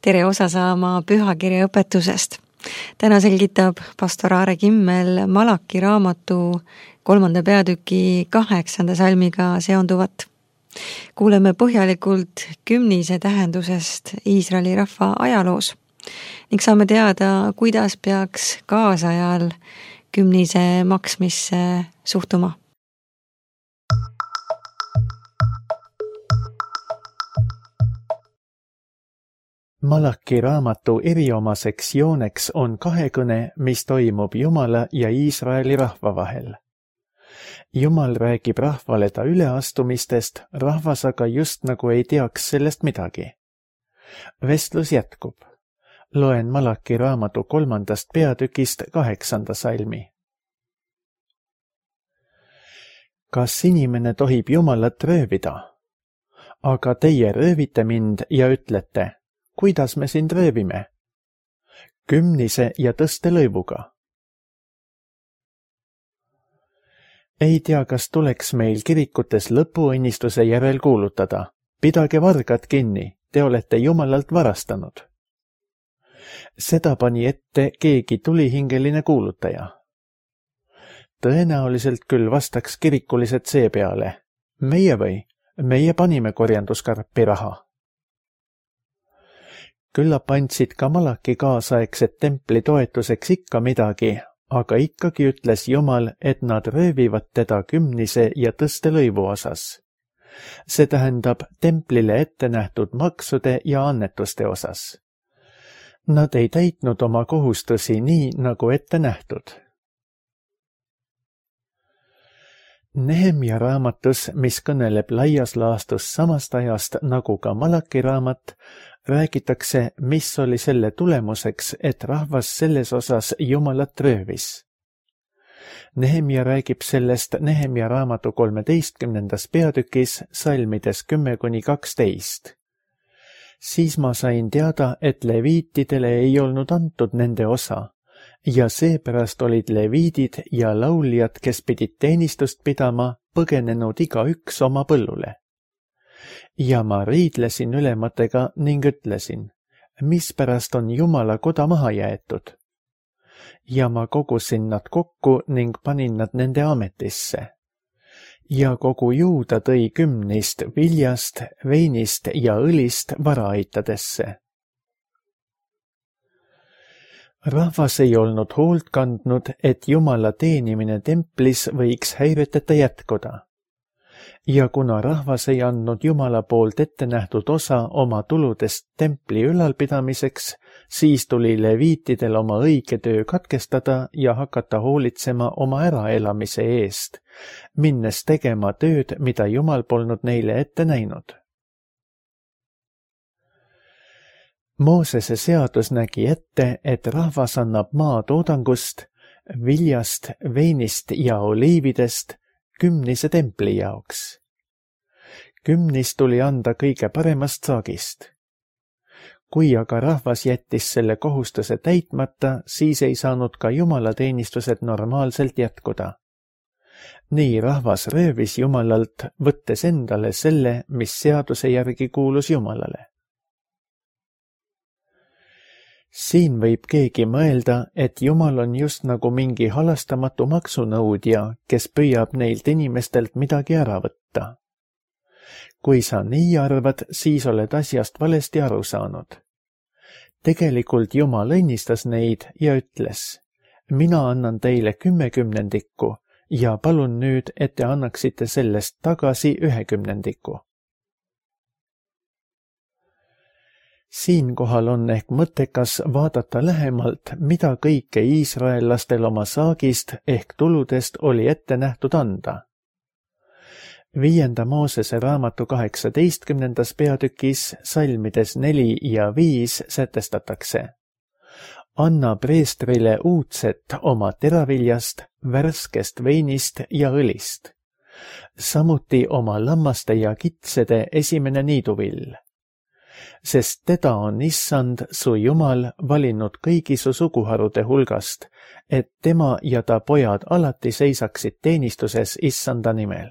tere osa saama pühakirja õpetusest. Täna selgitab pastor Aare Kimmel Malaki raamatu 3. peatüki 8. salmiga seonduvat. Kuuleme põhjalikult kümnise tähendusest Iisraeli rahva ajaloos ning saame teada, kuidas peaks kaasajal kümnise maksmisse suhtuma. Malaki raamatu eriomaseks jooneks on kahekõne, mis toimub Jumala ja Iisraeli rahva vahel. Jumal räägib rahvale ta üleastumistest, rahvas aga just nagu ei teaks sellest midagi. Vestlus jätkub. Loen Malaki raamatu 3. peatükist 8. salmi. Kas inimene tohib Jumalat röövida? Aga teie röövite mind ja ütlete, kuidas me sind röövime? Kümnise ja tõstelõivuga. Ei tea, kas tuleks meil kirikutes lõpuõnnistuse järel kuulutada. Pidage vargad kinni, te olete Jumalalt varastanud. Seda pani ette keegi tulihingeline kuulutaja. Tõenäoliselt küll vastaks kirikulised seepeale. Meie või? Meie panime korjanduskarpi raha. Küllap andsid ka Malaki kaasaegsed templi toetuseks ikka midagi, aga ikkagi ütles Jumal, et nad röövivad teda kümnise ja tõstelõivu osas. See tähendab templile ette nähtud maksude ja annetuste osas. Nad ei täitnud oma kohustusi nii, nagu ette nähtud. Nehemia raamatus, mis kõneleb laias laastus samast ajast nagu ka Malaki raamat, räägitakse, mis oli selle tulemuseks, et rahvas selles osas Jumalat röövis. Nehemia räägib sellest Nehemia raamatu 13. peatükis salmides 10-12. Siis ma sain teada, et leviitidele ei olnud antud nende osa ja seepärast olid leviidid ja lauljad, kes pidid teenistust pidama, põgenenud igaüks oma põllule. Ja ma riidlesin ülematega ning ütlesin, mispärast on Jumala koda maha jäetud. Ja ma kogusin nad kokku ning panin nad nende ametisse. Ja kogu Juuda tõi kümnist viljast, veinist ja õlist varaaitadesse. Rahvas ei olnud hoolt kandnud, et Jumala teenimine templis võiks häireteta jätkuda. Ja kuna rahvas ei andnud Jumala poolt ette nähtud osa oma tuludest templi ülalpidamiseks, siis tuli leviitidel oma õige töö katkestada ja hakata hoolitsema oma äraelamise eest, minnes tegema tööd, mida Jumal polnud neile ette näinud. Moosese seadus nägi ette, et rahvas annab maa toodangust, viljast, veinist ja oliividest kümnise templi jaoks. Kümnis tuli anda kõige paremast saagist. Kui aga rahvas jättis selle kohustuse täitmata, siis ei saanud ka jumalateenistused normaalselt jätkuda. Nii rahvas röövis Jumalalt, võttes endale selle, mis seaduse järgi kuulus Jumalale. Siin võib keegi mõelda, et Jumal on just nagu mingi halastamatu maksunõudja, kes püüab neilt inimestelt midagi ära võtta. Kui sa nii arvad, siis oled asjast valesti aru saanud. Tegelikult Jumal õnnistas neid ja ütles, mina annan teile 10/10 ja palun nüüd, et te annaksite sellest tagasi 1/10. Siinkohal on ehk mõttekas vaadata lähemalt, mida kõike iisraellastel oma saagist ehk tuludest oli ette nähtud anda. 5. Moosese raamatu 18. peatükis salmides 4 ja 5 sätestatakse. Anna preestrile uudset oma teraviljast, värskest veinist ja õlist. Samuti oma lammaste ja kitsede esimene niiduvill. Sest teda on Issand, su Jumal, valinud kõigi su suguharude hulgast, et tema ja ta pojad alati seisaksid teenistuses Issanda nimel.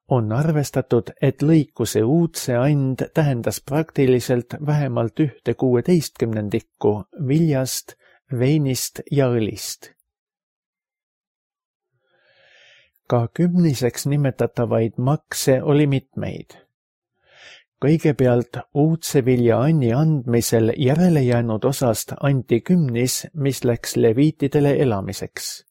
on arvestatud, et lõikuse uudse and tähendas praktiliselt vähemalt 1/16 viljast, veinist ja õlist. Ka kümniseks nimetatavaid makse oli mitmeid. Kõigepealt uudse vilja anni andmisel järele jäänud osast anti kümnis, mis läks leviitidele elamiseks.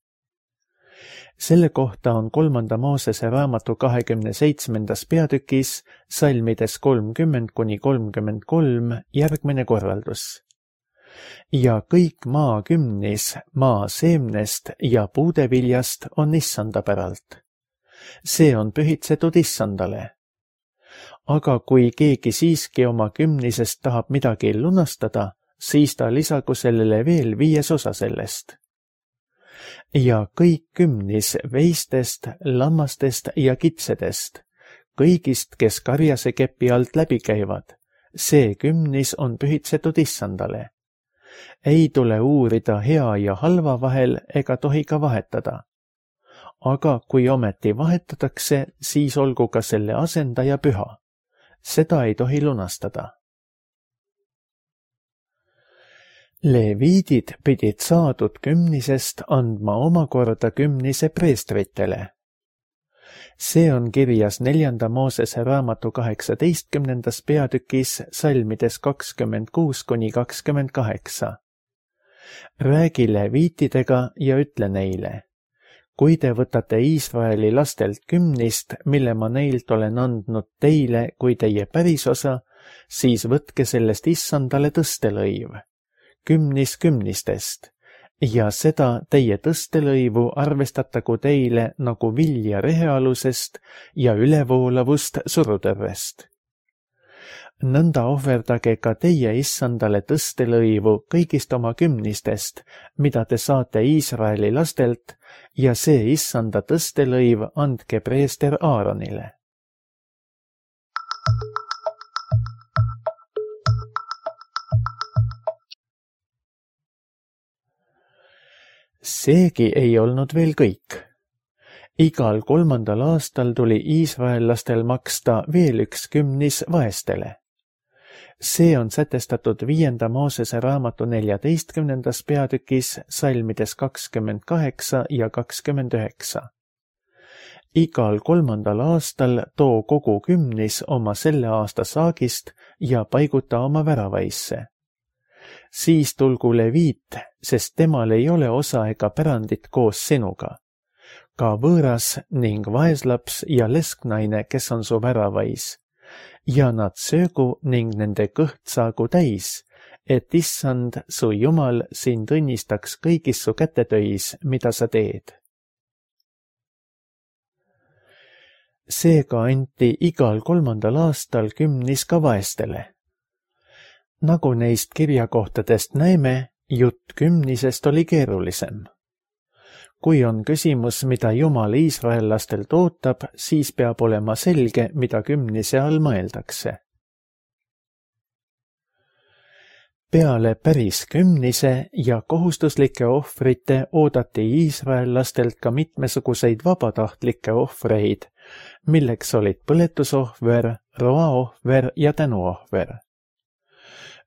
Selle kohta on 3. Moosese raamatu 27. peatükis salmides 30–33 järgmine korraldus. Ja kõik maa kümnis maa seemnest ja puudeviljast on issanda päralt. See on pühitsetud issandale. Aga kui keegi siiski oma kümnisest tahab midagi lunastada, siis ta lisagu sellele veel 5 osa sellest. Ja kõik kümnis veistest, lammastest ja kitsedest, kõigist, kes karjase kepi alt läbi käivad, see kümnis on pühitsetud issandale. Ei tule uurida hea ja halva vahel ega tohi ka vahetada. Aga kui ometi vahetatakse, siis olgu ka selle asendaja püha. Seda ei tohi lunastada. Leviidid pidid saadud kümnisest andma omakorda kümnise preestritele. See on kirjas 4. Moosese raamatu 18. peatükis salmides 26–28. Räägi leviitidega ja ütle neile. Kui te võtate Iisraeli lastelt kümnist, mille ma neilt olen andnud teile kui teie pärisosa, siis võtke sellest issandale tõstelõiv, kümnis kümnistest, ja seda teie tõstelõivu arvestatagu teile nagu vilja rehealusest ja ülevoolavust surutõrvest. Nõnda ohverdage ka teie issandale tõstelõivu kõigist oma kümnistest, mida te saate Iisraeli lastelt, ja see issanda tõstelõiv andke preester Aaronile. Seegi ei olnud veel kõik. Igal 3. aastal tuli iisraellastel maksta veel 1 kümnis vaestele. See on sätestatud 5. Moosese raamatu 14. peatükis salmides 28 ja 29. Igal 3. aastal too kogu kümnis oma selle aasta saagist ja paiguta oma väravaisse. Siis tulgu leviit, sest temal ei ole osa ega pärandit koos sinuga. Ka võõras ning vaeslaps ja lesknaine, kes on su väravais. Ja nad söögu ning nende kõht saagu täis, et issand, su Jumal, sind õnnistaks kõigis su kätetöis, mida sa teed. Seega anti igal 3. aastal kümnis ka vaestele. Nagu neist kirjakohtadest näeme, jutt kümnisest oli keerulisem. Kui on küsimus, mida Jumal iisraellastelt ootab, siis peab olema selge, mida kümnise all mõeldakse. Peale päris kümnise ja kohustuslike ohvrite oodati iisraellastelt ka mitmesuguseid vabatahtlikke ohvreid, milleks olid põletusohver, roaohver ja tänuohver.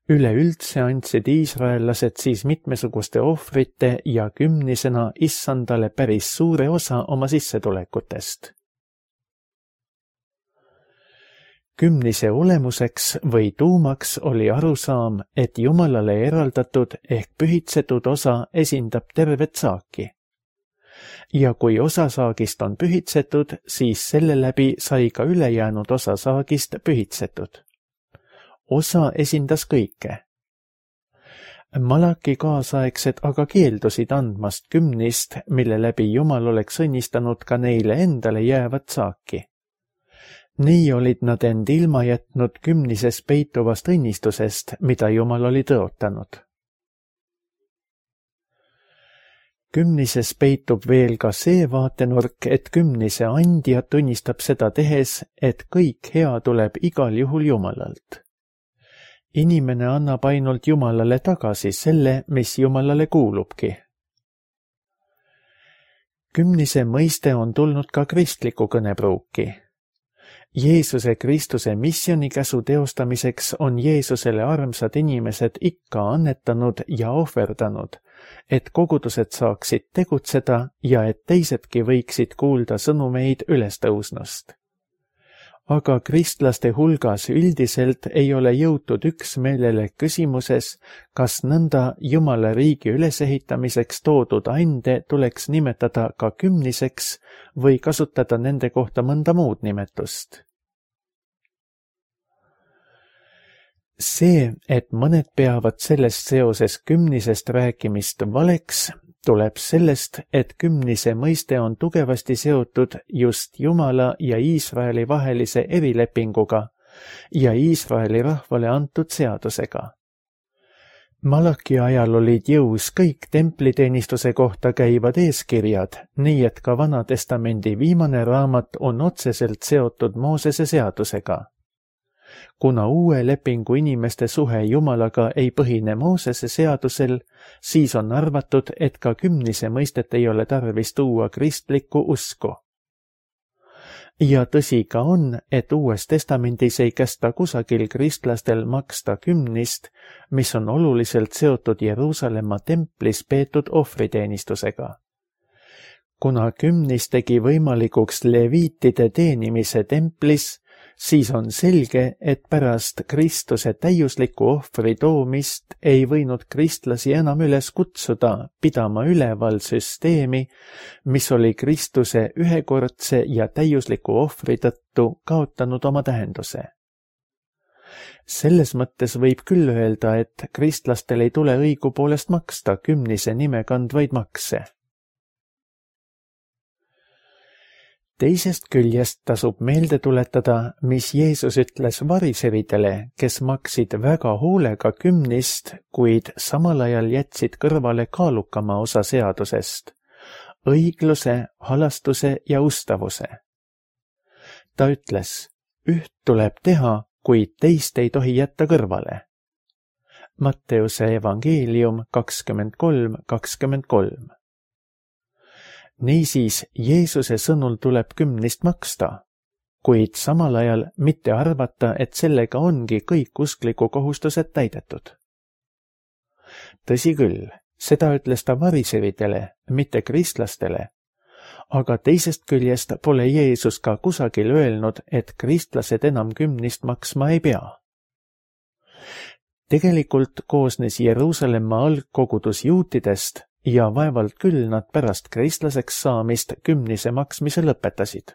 Üleüldse andsid iisraellased siis mitmesuguste ohvrite ja kümnisena issandale päris suure osa oma sissetulekutest. Kümnise olemuseks või tuumaks oli arusaam, et Jumalale eraldatud ehk pühitsetud osa esindab tervet saaki. Ja kui osa saagist on pühitsetud, siis selle läbi sai ka ülejäänud osa saagist pühitsetud. Osa esindas kõike. Malaki kaasaegsed aga keeldusid andmast kümnist, mille läbi Jumal oleks õnnistanud ka neile endale jäävat saaki. Nii olid nad end ilma jätnud kümnises peituvast õnnistusest, mida Jumal oli tõotanud. Kümnises peitub veel ka see vaatenurk, et kümnise andja tunnistab seda tehes, et kõik hea tuleb igal juhul Jumalalt. Inimene annab ainult Jumalale tagasi selle, mis Jumalale kuulubki. Kümnise mõiste on tulnud ka kristliku kõnepruuki. Jeesuse Kristuse missionikäsu teostamiseks on Jeesusele armsad inimesed ikka annetanud ja ohverdanud, et kogudused saaksid tegutseda ja et teisedki võiksid kuulda sõnumeid ülestõusnust. Aga kristlaste hulgas üldiselt ei ole jõutud üksmeelele küsimuses, kas nõnda Jumala riigi ülesehitamiseks toodud ande tuleks nimetada ka kümniseks või kasutada nende kohta mõnda muud nimetust. See, et mõned peavad sellest seoses kümnisest rääkimist valeks, tuleb sellest, et kümnise mõiste on tugevasti seotud just Jumala ja Iisraeli vahelise erilepinguga ja Iisraeli rahvale antud seadusega. Malaki ajal olid jõus kõik templiteenistuse kohta käivad eeskirjad, nii et ka Vana Testamendi viimane raamat on otseselt seotud Moosese seadusega. Kuna uue lepingu inimeste suhe Jumalaga ei põhine Moosese seadusel, siis on arvatud, et ka kümnise mõistet ei ole tarvis tuua kristlikku usku. Ja tõsi ka on, et Uues Testamendis ei kästa kusagil kristlastel maksta kümnist, mis on oluliselt seotud Jeruusalemma templis peetud ohvriteenistusega. Kuna kümnis tegi võimalikuks leviitide teenimise templis, siis on selge, et pärast Kristuse täiusliku ohvri toomist ei võinud kristlasi enam üles kutsuda pidama üleval süsteemi, mis oli Kristuse ühekordse ja täiusliku ohvri tõttu kaotanud oma tähenduse. Selles mõttes võib küll öelda, et kristlastel ei tule õigupoolest maksta kümnise nime kandvaid makse. Teisest küljest tasub meelde tuletada, mis Jeesus ütles variseridele, kes maksid väga hoolega kümnist, kuid samal ajal jätsid kõrvale kaalukama osa seadusest, õigluse, halastuse ja ustavuse. Ta ütles, üht tuleb teha, kuid teist ei tohi jätta kõrvale. Matteuse evangeelium 23:23. Niisiis, Jeesuse sõnul tuleb kümnist maksta, kuid samal ajal mitte arvata, et sellega ongi kõik uskliku kohustused täidetud. Tõsi küll, seda ütles ta variseridele, mitte kristlastele, aga teisest küljest pole Jeesus ka kusagil öelnud, et kristlased enam kümnist maksma ei pea. Tegelikult koosnes Jeruusalemma algkogudus juutidest ja vaevalt küll nad pärast kristlaseks saamist kümnise maksmise lõpetasid.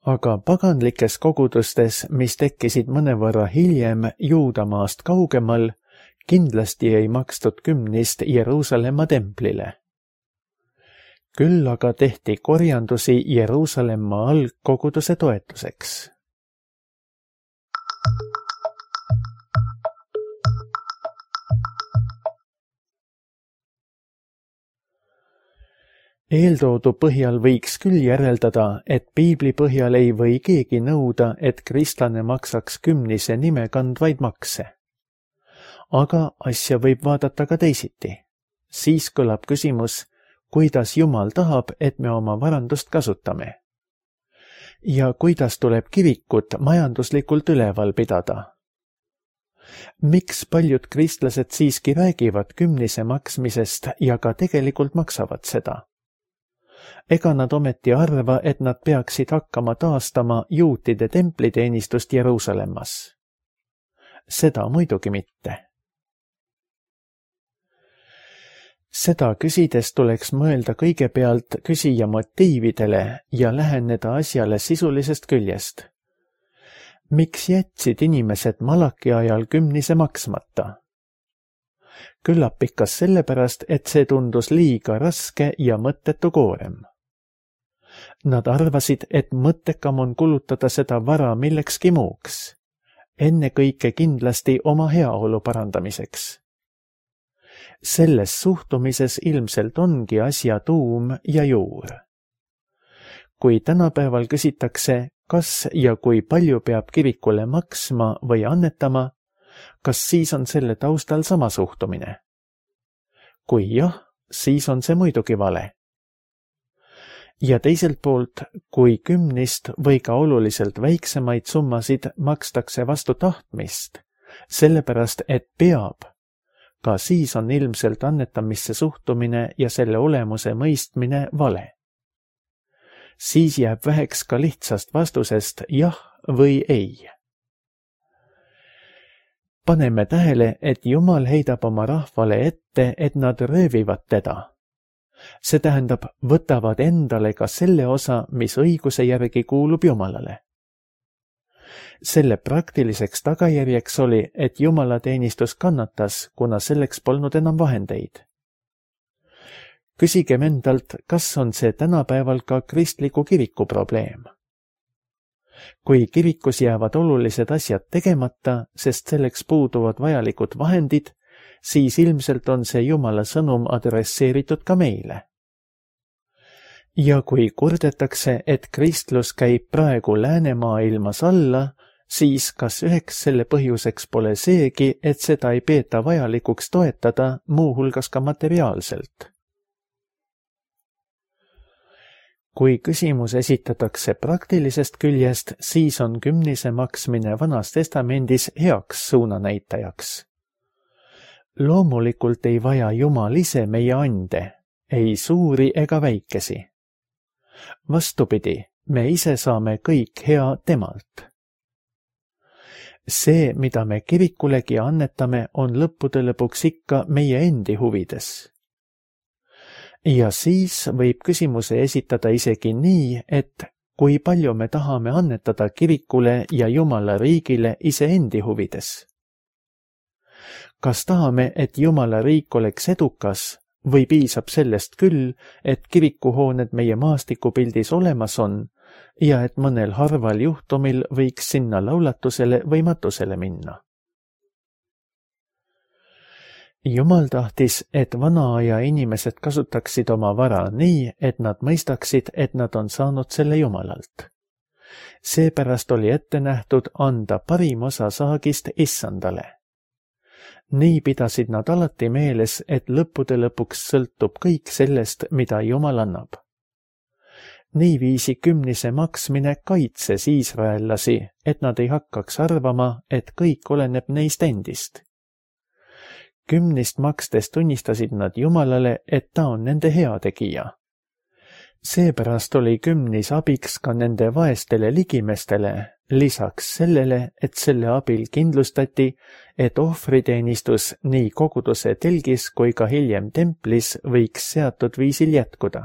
Aga paganlikes kogudustes, mis tekkisid mõnevõrra hiljem Juudamaast kaugemal, kindlasti ei makstud kümnist Jeruusalemma templile. Küll aga tehti korjandusi Jeruusalemma algkoguduse toetuseks. Eeltoodu põhjal võiks küll järeldada, et piibli põhjal ei või keegi nõuda, et kristlane maksaks kümnise nime kandvaid makse. Aga asja võib vaadata ka teisiti. Siis kõlab küsimus, kuidas Jumal tahab, et me oma varandust kasutame. Ja kuidas tuleb kirikut majanduslikult üleval pidada. Miks paljud kristlased siiski räägivad kümnise maksmisest ja ka tegelikult maksavad seda? Ega nad ometi arva, et nad peaksid hakkama taastama juutide templiteenistust Jeruusalemmas. Seda muidugi mitte. Seda küsides tuleks mõelda kõigepealt küsija motiividele ja läheneda asjale sisulisest küljest. Miks jätsid inimesed Malaki ajal kümnise maksmata? Küllap ikka sellepärast, et see tundus liiga raske ja mõttetu koorem. Nad arvasid, et mõttekam on kulutada seda vara millekski muuks, ennekõike kindlasti oma heaolu parandamiseks. Selles suhtumises ilmselt ongi asja tuum ja juur. Kui tänapäeval küsitakse, kas ja kui palju peab kirikule maksma või annetama, kas siis on selle taustal sama suhtumine? Kui jah, siis on see muidugi vale. ja teiselt poolt, kui 10 või ka oluliselt väiksemaid summasid makstakse vastu tahtmist, sellepärast et peab, ka siis on ilmselt annetamisse suhtumine ja selle olemuse mõistmine vale. Siis jääb väheks ka lihtsast vastusest jah või ei. Paneme tähele, et Jumal heidab oma rahvale ette, et nad röövivad teda. See tähendab, võtavad endale ka selle osa, mis õiguse järgi kuulub Jumalale. Selle praktiliseks tagajärjeks oli, et jumalateenistus kannatas, kuna selleks polnud enam vahendeid. Küsigem endalt, kas on see tänapäeval ka kristliku kiriku probleem. Kui kirikus jäävad olulised asjad tegemata, sest selleks puuduvad vajalikud vahendid, siis ilmselt on see Jumala sõnum adresseeritud ka meile. Ja kui kurdetakse, et kristlus käib praegu läänemaailmas alla, siis kas üheks selle põhjuseks pole seegi, et seda ei peeta vajalikuks toetada, muuhulgas ka materiaalselt. Kui küsimus esitatakse praktilisest küljest, siis on 10 maksmine Vanas Testamendis heaks suunanäitajaks. Loomulikult ei vaja Jumal ise meie ande, ei suuri ega väikesi. Vastupidi, me ise saame kõik hea temalt. See, mida me kirikulegi annetame, on lõppude lõpuks ikka meie endi huvides. Ja siis võib küsimuse esitada isegi nii, et kui palju me tahame annetada kirikule ja Jumala riigile iseendi huvides. Kas tahame, et Jumala riik oleks edukas või piisab sellest küll, et kirikuhooned meie maastikupildis olemas on ja et mõnel harval juhtumil võiks sinna laulatusele või matusele minna? Jumal tahtis, et vana aja inimesed kasutaksid oma vara nii, et nad mõistaksid, et nad on saanud selle Jumalalt. Seepärast oli ette nähtud anda parim osa saagist Issandale. Nii pidasid nad alati meeles, et lõppude lõpuks sõltub kõik sellest, mida Jumal annab. Niiviisi 10 maksmine kaitses iisraellasi, et nad ei hakkaks arvama, et kõik oleneb neist endist. 10 makstes tunnistasid nad Jumalale, et ta on nende heategija. Seepärast oli 10 abiks ka nende vaestele ligimestele, lisaks sellele, et selle abil kindlustati, et ohvriteenistus nii koguduse telgis kui ka hiljem templis võiks seatud viisil jätkuda.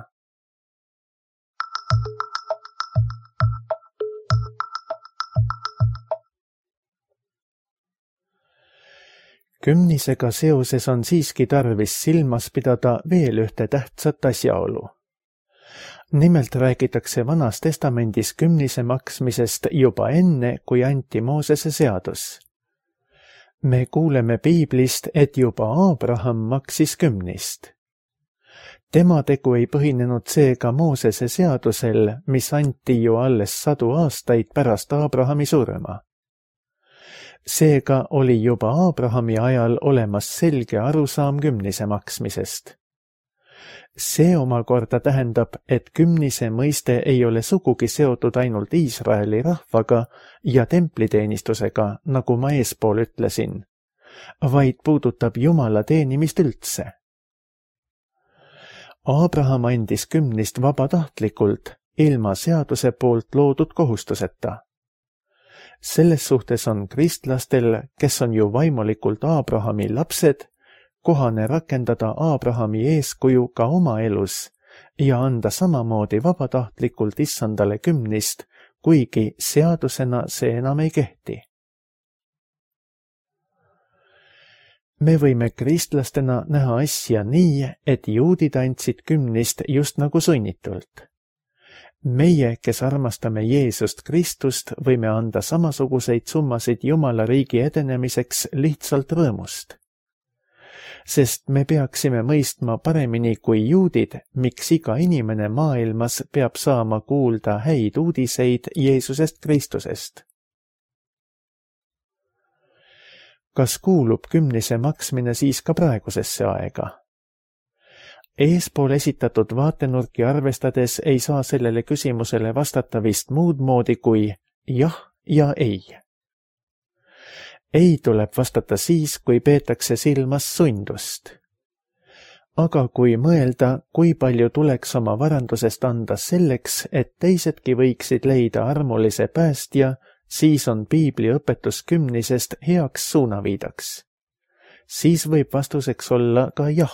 Kümnisega seoses on siiski tarvis silmas pidada veel ühte tähtsat asjaolu. Nimelt räägitakse Vanas Testamendis 10 maksmisest juba enne, kui anti Moosese seadus. Me kuuleme piiblist, et juba Aabraham maksis 10. Tema tegu ei põhinenud seega Moosese seadusel, mis anti ju alles 100 aastaid pärast Aabrahami surma. Seega oli juba Aabrahami ajal olemas selge arusaam 10 maksmisest. See omakorda tähendab, et 10 mõiste ei ole sugugi seotud ainult Iisraeli rahvaga ja templiteenistusega, nagu ma eespool ütlesin, vaid puudutab Jumala teenimist üldse. Aabraham andis 10 vabatahtlikult, ilma seaduse poolt loodud kohustuseta. Selles suhtes on kristlastel, kes on ju vaimulikult Aabrahami lapsed, kohane rakendada Aabrahami eeskuju ka oma elus ja anda samamoodi vabatahtlikult Issandale 10, kuigi seadusena see enam ei kehti. Me võime kristlastena näha asja nii, et juudid andsid 10 just nagu sunnitult. Meie, kes armastame Jeesust Kristust, võime anda samasuguseid summasid Jumala riigi edenemiseks lihtsalt rõõmust. Sest me peaksime mõistma paremini kui juudid, miks iga inimene maailmas peab saama kuulda häid uudiseid Jeesusest Kristusest. Kas kuulub 10 maksmine siis ka praegusesse aega? Eespool esitatud vaatenurki arvestades ei saa sellele küsimusele vastata vist muud moodi kui jah ja ei. Ei tuleb vastata siis, kui peetakse silmas sundust. Aga kui mõelda, kui palju tuleks oma varandusest anda selleks, et teisedki võiksid leida armulise päästja, siis on piibli õpetus kümnisest heaks suunaviidaks. Siis võib vastuseks olla ka jah.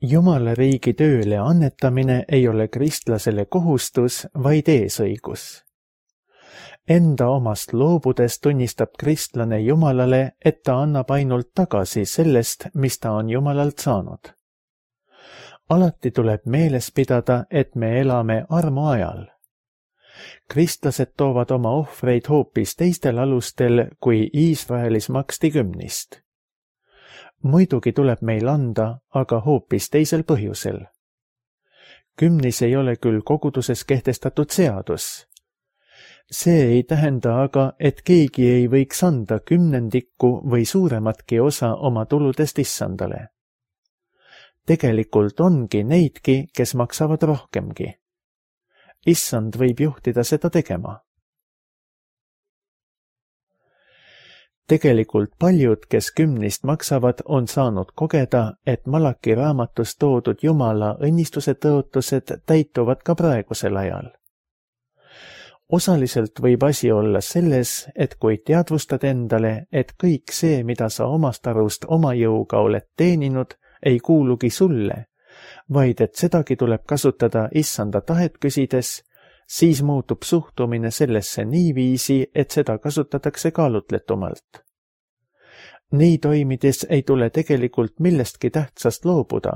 Jumala riigi tööle annetamine ei ole kristlasele kohustus, vaid eesõigus. Enda omast loobudes tunnistab kristlane Jumalale, et ta annab ainult tagasi sellest, mis ta on Jumalalt saanud. Alati tuleb meeles pidada, et me elame armuajal. Kristlased toovad oma ohvreid hoopis teistel alustel, kui Iisraelis maksti kümnist. Muidugi tuleb meil anda, aga hoopis teisel põhjusel. Kümnis ei ole küll koguduses kehtestatud seadus. See ei tähenda aga, et keegi ei võiks anda kümnendikku või suurematki osa oma tuludest issandale. Tegelikult ongi neidki, kes maksavad rohkemgi. Issand võib juhtida seda tegema. Tegelikult paljud, kes kümnist maksavad, on saanud kogeda, et Malaki raamatus toodud Jumala õnnistuse tõotused täituvad ka praegusel ajal. Osaliselt võib asi olla selles, et kui teadvustad endale, et kõik see, mida sa omast arust oma jõuga oled teeninud, ei kuulugi sulle, vaid et sedagi tuleb kasutada issanda tahet küsides, siis muutub suhtumine sellesse niiviisi, et seda kasutatakse kaalutletumalt. Nii toimides ei tule tegelikult millestki tähtsast loobuda,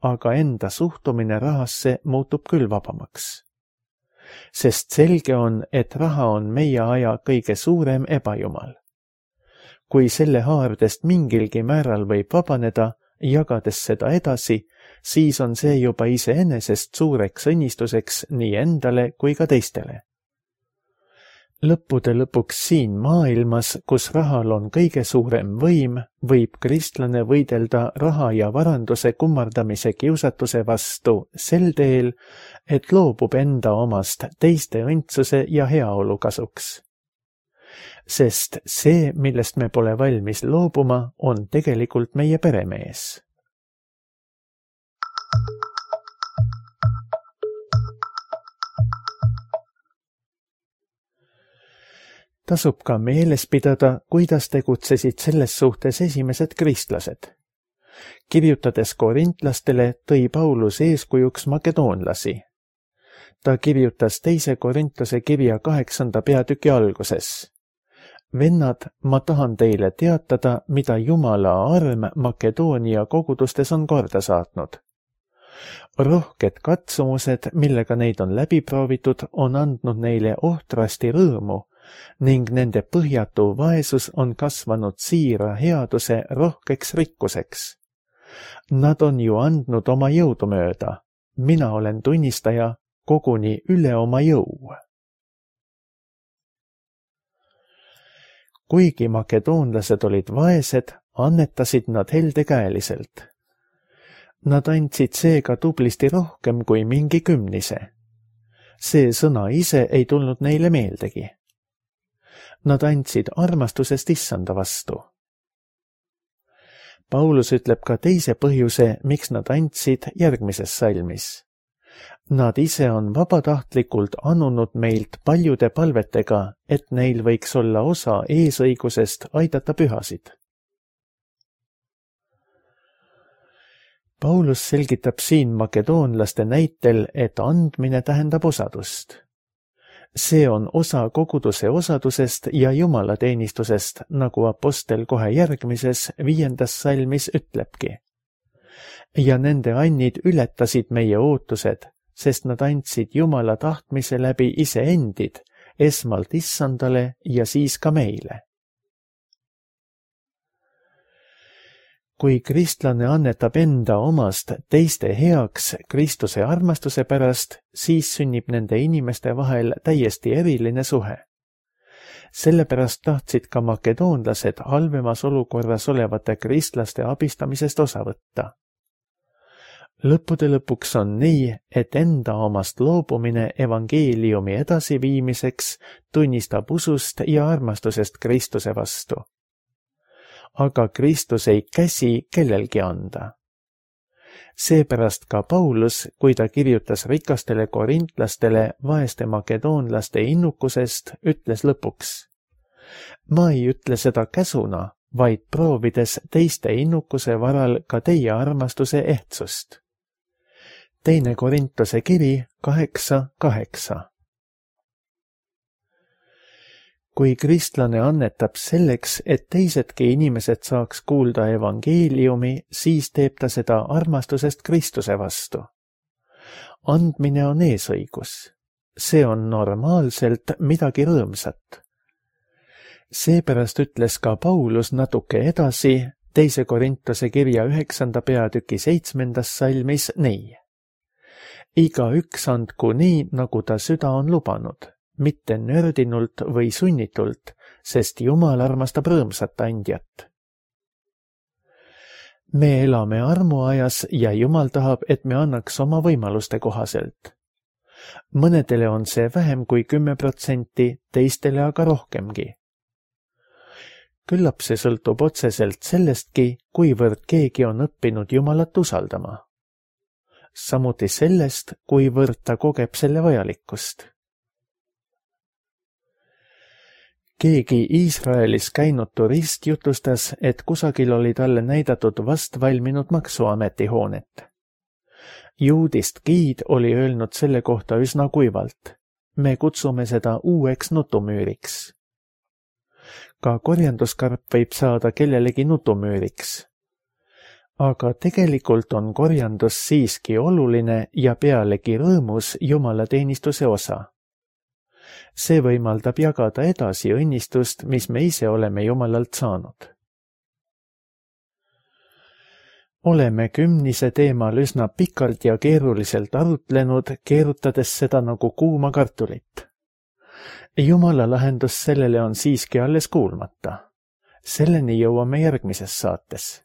aga enda suhtumine rahasse muutub küll vabamaks. Sest selge on, et raha on meie aja kõige suurem ebajumal. Kui selle haardest mingilgi määral võib vabaneda, jagades seda edasi, siis on see juba iseenesest suureks õnnistuseks nii endale kui ka teistele. Lõppude lõpuks siin maailmas, kus rahal on kõige suurem võim, võib kristlane võidelda raha ja varanduse kummardamise kiusatuse vastu sel teel, et loobub enda omast teiste õndsuse ja heaolu kasuks. Sest see, millest me pole valmis loobuma, on tegelikult meie peremees. Tasub ka meeles pidada, kuidas tegutsesid selles suhtes esimesed kristlased. Kirjutades korintlastele tõi Paulus eeskujuks makedoonlasi. Ta kirjutas 2. Korintlase kirja 8. peatüki alguses. Vennad, ma tahan teile teatada, mida Jumala arm Makedoonia kogudustes on korda saatnud. Rohked katsumused, millega neid on läbi proovitud, on andnud neile ohtrasti rõõmu, ning nende põhjatu vaesus on kasvanud siira headuse rohkeks rikkuseks. Nad on ju andnud oma jõudu mööda. Mina olen tunnistaja koguni üle oma jõu. Kuigi makedoonlased olid vaesed, annetasid nad heldekäeliselt. Nad andsid seega tublisti rohkem kui mingi kümnise. See sõna ise ei tulnud neile meeldegi. Nad andsid armastusest issanda vastu. Paulus ütleb ka teise põhjuse, miks nad andsid järgmises salmis. Nad ise on vabatahtlikult annunud meilt paljude palvetega, et neil võiks olla osa eesõigusest aidata pühasid. Paulus selgitab siin makedoonlaste näitel, et andmine tähendab osadust. See on osa koguduse osadusest ja jumalateenistusest, nagu apostel kohe järgmises 5. salmis ütlebki. Ja nende annid ületasid meie ootused, sest nad andsid Jumala tahtmise läbi iseendid, esmalt issandale ja siis ka meile. Kui kristlane annetab enda omast teiste heaks Kristuse armastuse pärast, siis sünnib nende inimeste vahel täiesti eriline suhe. Sellepärast tahtsid ka makedoonlased halvemas olukorras olevate kristlaste abistamisest osa võtta. Lõppude lõpuks on nii, et enda omast loobumine evangeeliumi edasiviimiseks tunnistab usust ja armastusest Kristuse vastu. Aga Kristus ei käsi kellelgi anda. Seepärast ka Paulus, kui ta kirjutas rikastele korintlastele vaeste makedoonlaste innukusest, ütles lõpuks: ma ei ütle seda käsuna, vaid proovides teiste innukuse varal ka teie armastuse ehtsust. 2. Korintuse kiri 8:8. Kui kristlane annetab selleks, et teisedki inimesed saaks kuulda evangeeliumi, siis teeb ta seda armastusest Kristuse vastu. Andmine on eesõigus. See on normaalselt midagi rõõmsat. Seepärast ütles ka Paulus natuke edasi 2. Korintuse kirja 9. peatüki 7. salmis nii: igaüks andku nii, nagu ta süda on lubanud, mitte nördinult või sunnitult, sest Jumal armastab rõõmsat andjat. Me elame armuajas ja Jumal tahab, et me annaks oma võimaluste kohaselt. Mõnedele on see vähem kui 10%, teistele aga rohkemgi. Küllap see sõltub otseselt sellestki, kuivõrd keegi on õppinud Jumalat usaldama. Samuti sellest, kuivõrd ta kogeb selle vajalikkust. Keegi Iisraelis käinud turist jutustas, et kusagil oli talle näidatud vast valminud maksuameti hoonet. Juudist giid oli öelnud selle kohta üsna kuivalt: me kutsume seda uueks nutumüüriks. Ka korjanduskarp võib saada kellelegi nutumüüriks. Aga tegelikult on korjandus siiski oluline ja pealegi rõõmus jumalateenistuse osa. See võimaldab jagada edasi õnnistust, mis me ise oleme Jumalalt saanud. Oleme kümnise teemal üsna pikalt ja keeruliselt arutlenud, keerutades seda nagu kuuma kartulit. Jumala lahendus sellele on siiski alles kuulmata. Selleni jõuame järgmises saates.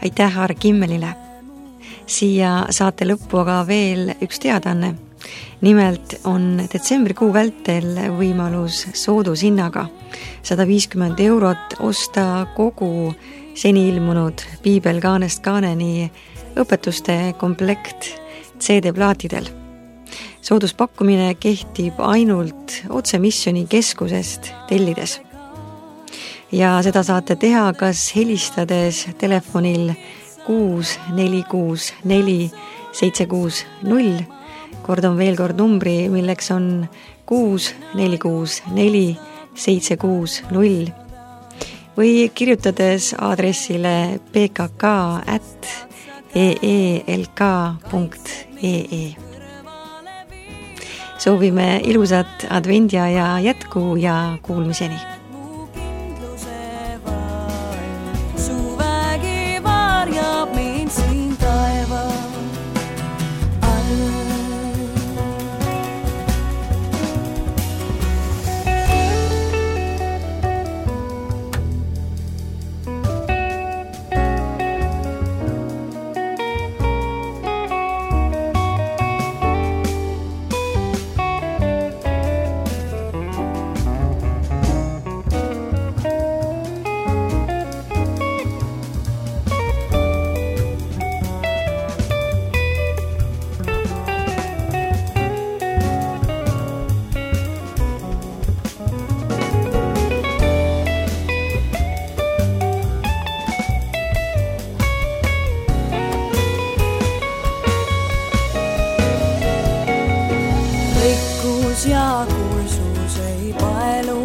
Aitäh Aare Kimmelile. Siia saate lõppu aga veel üks teadaanne. Nimelt on detsembrikuu vältel võimalus soodushinnaga 150 € osta kogu seni ilmunud Piibel kaanest kaaneni õpetuste komplekt CD-plaatidel. Sooduspakkumine kehtib ainult Otsemisjoni keskusest tellides. Ja seda saate teha kas helistades telefonil 6464 760, kordan veel kord numbri, milleks on 6464 760, või kirjutades aadressile pkk@eelk.ee. Soovime ilusat advendiaja jätku ja kuulmiseni! Ja kursus ei paelu